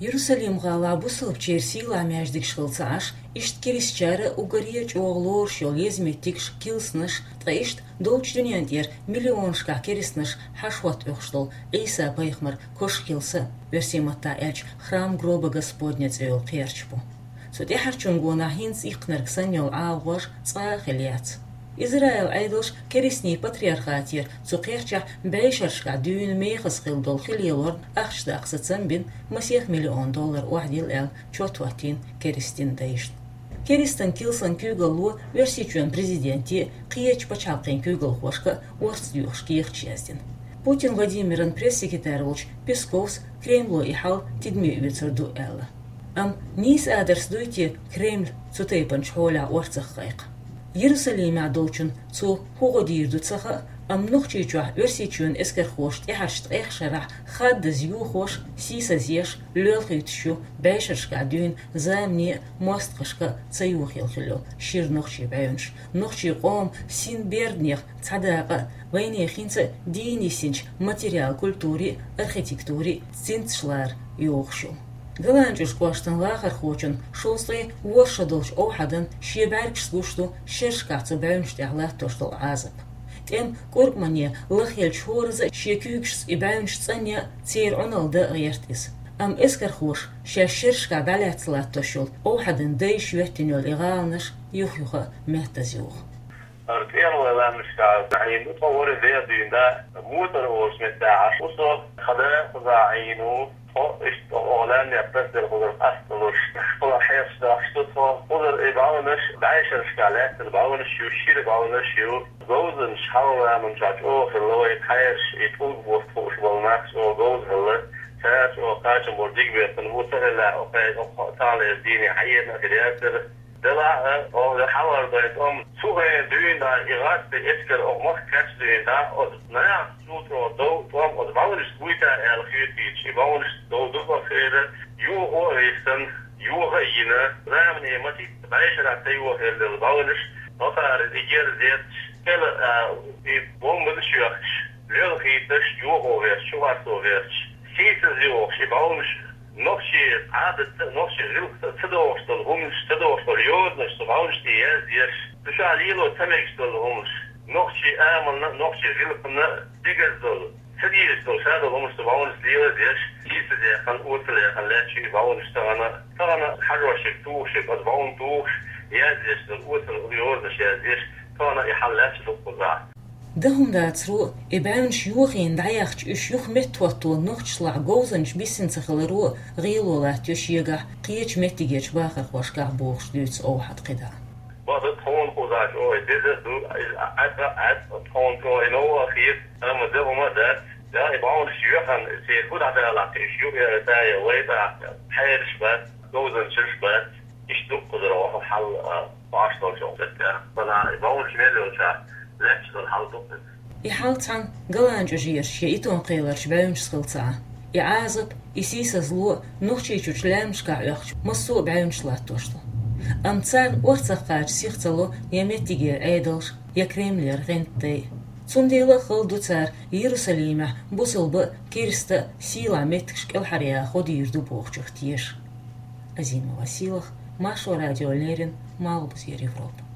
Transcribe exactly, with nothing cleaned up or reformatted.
Иерусалим-гӀалахь бусалбачеран сийлахь маьждигаш хилла ца Ӏаш, иштта керастачара уггаре а чӀогӀа лоруш йолу еза меттигаш, килсанаш, ткъа иштта долчу дуьнен тӀера миллионашкахь керстанаш хьаша хӀоттош долу Ӏийса-пайхамар кошан килса, оьрсийн маттахь аьлча, храм гроба Господня цӀе йолу кхерч бу. Цу тӀаьхьарчун гонахь хӀинца иккхинарг санна йолу ӀалагӀож цкъа а хилла яц. Израилан Ӏедалша керстийн патриархатера цу кхерчахь бӀешерашкахь дуьйна мехаза хилла долу хи лелорна ахча даккха сацам бина, масех миллион доллар охьадилла аьлла чот хӀоттийна керстийн дайшна. Керстан килсан куьйгалло Оьрсийчоьнан президенте а, кхечу пачхьалкхийн куьйгалхошка а орца доьхуш кехаташ яздина. Путин Владимиран пресс-секретарь волчу Песковс Кремло и хьал тидаме оьцур ду аьлла. Амма нийса адарца дуй те Кремль цу тайпанчу хьолехь орцах кхайкха? Иерусалимехь долчунна цо хӀун гӀо дийр ду ца хаьа, амма Нохчийчохь Оьрсийчоьнан эскархоша тӀаьхьарчу ткъех шарахь хаддаза юхош, сийсазъеш, лоьлхуьйтуш ю бӀешерашкахь дуьйна замане а, мостагӀашка а ца юхаелла хилла йолу шира нохчийн бӀаьвнаш, нохчийн къоман синберданех цхьа дакъа а, вайнехан хӀинца а дийна йисинчу материалан культурин а, архитектурин а цинцаш лара йогӀуш ю. ГаланчӀожан кӀоштан вахархочун шовзткъе ворхӀ шо долчу Овхьадан шен бӀаьргашца гуш ду шерашкахь цу бӀаьвнаш тӀехь латтош долу Ӏазап. ТӀеман кӀуркӀамане лахъеллачу хӀоразза а шен куьйгашца и бӀаьвнаш цӀанъян а, церан Ӏуналла дан а гӀерта иза. Амма эскархоша шаьш шерашкахь дӀалаьцна латтош йолу Овхьадан дайша йоьттина йолу и гӀаланаш юх-юха а меттаза юху. ХӀара тӀеман лаьмнашкахь Ӏийна ду тхо, ворхӀе де дуьйна дӀа, Муцар олучу меттехь Ӏаш ву со, тхан да кхузахь Ӏийна ву. Тхо иштта оха лаьмнех тасаделла кхузара къасталуш, кхузара хьешаш дохуш ду тхо. Кхузара и бӀаьвнаш бӀешерашкахь лаьттина бӀаьвнаш ю, шира бӀаьвнаш ю. Говзанчаш хьалха заманчохь чӀогӀа хилла, вай тхьаерш и тӀулг бутт хууш болу нах чӀогӀа говза хилла. Цара чӀогӀа кхачам болу дика беттан бу, ца хилла, окху, окху таханлерчу дийне хьаерна а хир яцара. Делахь а, оха хьалхара дайн тӀом цу хенахь дуьйна дӀа, и гӀазкхийн эскар оха махка кхаьчча дуьйна дӀа, оцу нахаца чу чӀогӀа дов тӀом оцу бӀаьвнашца вуьйта аьлла хетийча, и бӀаьвнаш дов ду боху хенахь, юха а виссина, юха а йина, замане ма-титтара бӀешерахь ца юхаелла бӀаьвнаш, нохчара и герз етташ, кӀела а, и бомбанаш а йоьхкуш, лоьлхуьйтуш, юха а гӀерташ, чу гӀорто гӀерташ, сийсаза юхуш, и бӀаьвнаш нохчийн Ӏадатца а, нохчийн гӀиллакхца а ца догӀуш долу хӀуманаш, ца догӀуш долу йозанаш цу бӀаьвнаш тӀе язъеш, цу чохь лело ца мегаш долу хӀуманаш, нохчийн амална а, нохчийн гӀиллакхна а тӀегаза долу, ца дезаш долу, ша долу хӀуманаш цу бӀаьвнашца лело а деш, сийсаза яьккхина, оьцула яьккхина лаьтташ ю и бӀаьвнаш тахана. Тахана хьажош ерг тухуш, ерг оцу бӀаьвнан тухуш, язъеш долу оьцула йозанаш язъеш, тахана и хьал лаьтташ ду кхузахь. Дан хӀума дацаро, и бӀаьвнаш йохийна дӀаяхча, уьш юха меттахӀотто нохчашлахь говзанчаш биссина ца хиларо а гӀело латтайо шегахь, кхечу меттигерчу бахархошкахь, бохуш дуьйцу Овхьада кхидӀа. База тхуна кхузахь чӀогӀа деза а ду, иза Ӏад а Ӏад, тхуна чӀогӀа и новкъа а хета, амма дан хӀума а дац. Я и бӀаьвнаш йоьхна, церан хӀу дӀадалахь, уьш юха я тӀе я вай тӀе, хьераш бац, говзанчаш бац. Иштта ду кхузара оха хьал, а, баш долчу меттехь. Сана и бӀаьвнаш мел йолчохь лаьтташ долу хьал ду иза. И хьал цхьана ГаланчӀожерчу я итон кхеларчу бӀаьвнашца хилла ца Ӏа. И Ӏазап, и сийсазло Нохчийчуьрчу лаьмнашкахь оьхучу массо а бӀаьвнаш латтош ду. Амма царна орцах кхача сих ца ло я меттигера Ӏедалш, я Кремлера гӀентдай. Цундела а хала ду цара Иерусалимехь бусалба а, керста а сийлахь меттигаш кӀелхьаръяха гӀо дийр ду бохучух теша. Азимова Сийлаха, Маршо радиона леррина, Малхбузера Европа.